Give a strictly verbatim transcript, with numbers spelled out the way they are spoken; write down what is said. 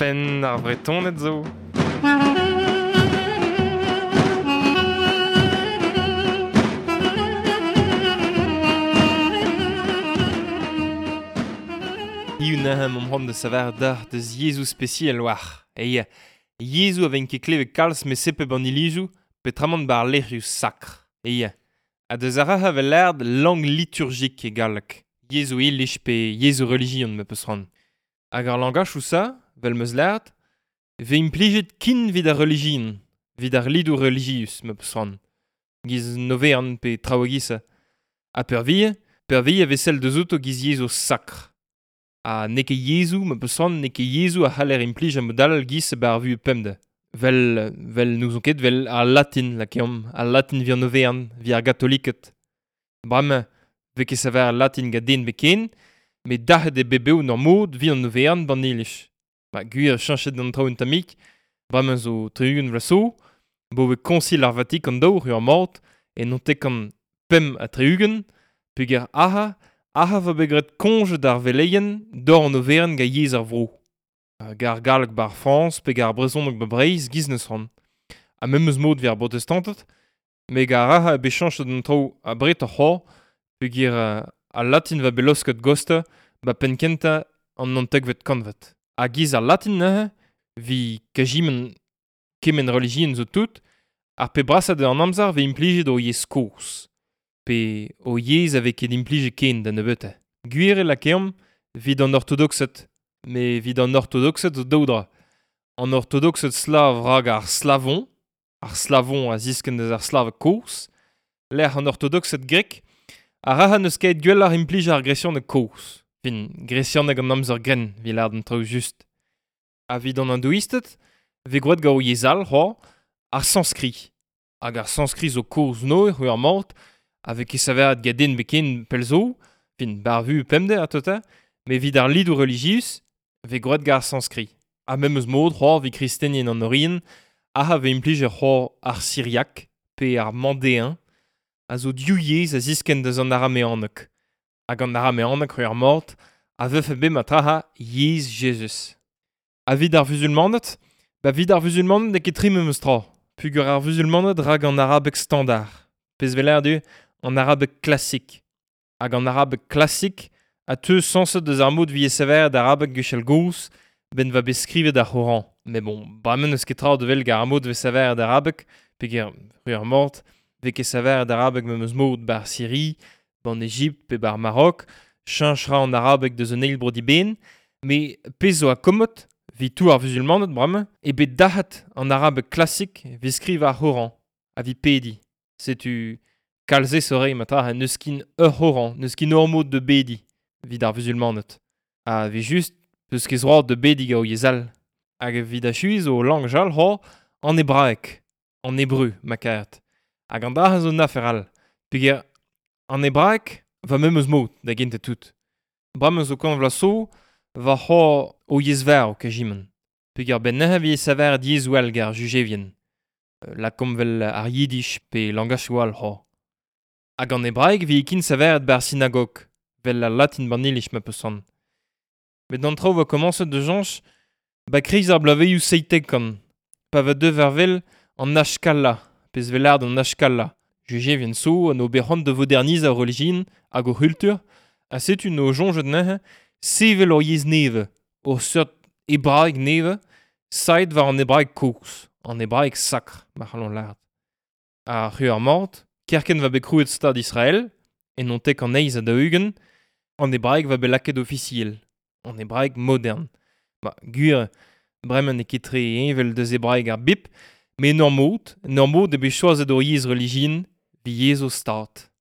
Penn ar Vretoned zo. Hiziv neuze 'm c'hoant da saver deoc'h deus yezhoù spesial war. Eia, yezhoù a vez ket klevet kalz met sepep an ilizoù petramant bar lec'hioù sakr. Eia, ha deus ar rac'h a vez lâret langue liturgique e galleg. Yezhoù iliz pe yezhoù relijion ma peus c'hoant. Hag ar langachoù ça, vel 'm eus lâret, vez implijet kin evit ar relijion, evit ar lidoù relijius ma peus c'hoant. Giz novern pe traoù e-giz-se. Ha peurvuiañ, peurvuiañ e vez sell deus outo giz yezhoù sakr. Ha n'eo ket yezhoù, ma peus c'hoant, n'eo ket yezhoù a c'haller implij a-mod-all giz bar vuhez pemdez. Vel, vel n'ouzon ket, vel al latin, lakeomp, al latin evit an overn, evit ar gatoliked. Bremañ, vez ket saver al latin gant den beken, met dac'het eo bet bev n'ur mod evit an overn b'an iliz. Ba gwir cheñchet an traoù un tammig, bremañ zo tri-ugent vloaz zo, bo vez koñsil ar Vatikan daou ur mort, e naontek-kant pemp ha tri-ugent, peogwir ac'ha, ac'ha vo bet graet koñje d'ar veleien d'or an overenn gant yezh ar vro. Hag ar galleg bar Frañs pe ar brezhoneg ba Breizh giz neus c'hoant. Ha memes mod evit ar brotestanted, met ar rac'ha bet cheñchet an traoù abred ar c'hor, peogwir al latin va bet laosket gosta ba penn-kentañ an naontekvet kantved. Ha giz ar latin neuze, vi kajiment kement relijion zo tout, ar pe brasañ an amzer vez implijet o yezh kozh. Pe o yezh a vez ket implijet ken da nebeutañ. Gwir eo lakeomp evit an ortodoksed, met evit an ortodoksed zo daou dra. An ortodoksed slav rak ar slavon, ar slavon a ziskenn deus ar slaveg kozh, lec'h an ortodoksed grek, a rac'ha n'eus ket gwelloc'h implij ar gresianeg kozh. Fin, gresianeg an amzer grenn, evit lâret an traoù just. Ha evit an hindouisted, vez gwraet gant o yezh all c'hoazh, ar sanskrit. Hag ar sanskrit zo kozh-noz c'hwi ar mort, a vez ket saveret gant den beken pell zo, fin bar vu pemdez a tota, met evit ar lidoù relijius, vez gwraet gant ar sanskrit. Ha memes mod c'hoazh evit kristenien an Orient, ac'ha vez implijet c'hoazh ar siriak pe ar mandéen, a zo div yezh a ziskenn deus an arameaneg. Hag an arameaneg c'hwi ar mort, a vefe bet matraha yezh Jezuz. Ha evit ar vuzulmaned, ba evit ar vuzulmaned n'eo ket tre memes tra, peogwir ar vuzulmaned rak an arabeg standard. Pezh 'vez lâret eo an arabeg klasik. Hag an arabeg klasik a teu sañset deus ar mod 'vije saveret arabeg gwechall gozh ben va bet skrivet ar C'horan. Met bon, bremañ n'eus ket tra da wel gant ar mod 'vez saveret arabeg, peogwir c'hwi ar mort, 'vez ket saveret arabeg memes mod bar Syrie, ban Ejipt pe bar Marok, cheñch 'ra an arabeg deus un eil bro diben, met pezh zo akomod, 'vit tout ar vuzulmaned bremañ, eo bet dac'het an arabeg klasik 'vit skrivañ ar C'horan, ha 'vit pediñ. Setu kalz aesoc'h eo matra n'eus ket ur C'horan, n'eus ket ur mod da bediñ evit ar vuzulmaned. Ha 'vez just peus ket droad da bediñ gant o yezh all. Hag evit achuiñ zo langaj all c'hoazh an hebraeg, an hebreu ma karet. Hag an dra zo un afer all. Peogwir an hebraeg va memes mod da gentañ tout. Bremañ zo kant vloaz zo va c'hoazh o yezh varv kajiment. Peogwir benn neuze 'vije saveret yezhoù all gant ar jujevien. Lakomp 'vel ar yiddish pe langachoù all c'hoazh. Hag an hebraeg 'vije kin saveret bar sinagog, 'vel al latin ban iliz ma peus c'hoant. Met an traoù 'vo komañset da cheñch ba kreiz ar bloavezhioù seitek-kant, pa va deuet war wel an Haskala, pezh 'vez lâret an Haskala. Jujevien zo an ober c'hoant da vodernizañ o relijion hag o c'hultur, ha setu no soñjet neuze sevel ur yezh nevez, ur seurt hebraeg nevez, saet war an hebraeg kozh, an hebraeg sakr, ma c'hallon lâret. Ha c'hwi ar mort, kerkent va bet krouet Stad Israel, e naontek an eizh ha daou-ugent, an hebraeg va bet lakaet ofisiel, an hebraeg modern. Ba, gwir, bremañ n'eo ket tre heñvel deus hebraeg ar bip, met en ur mod, en ur mod eo bet choazet ur yezh relijion evit yezh o stad.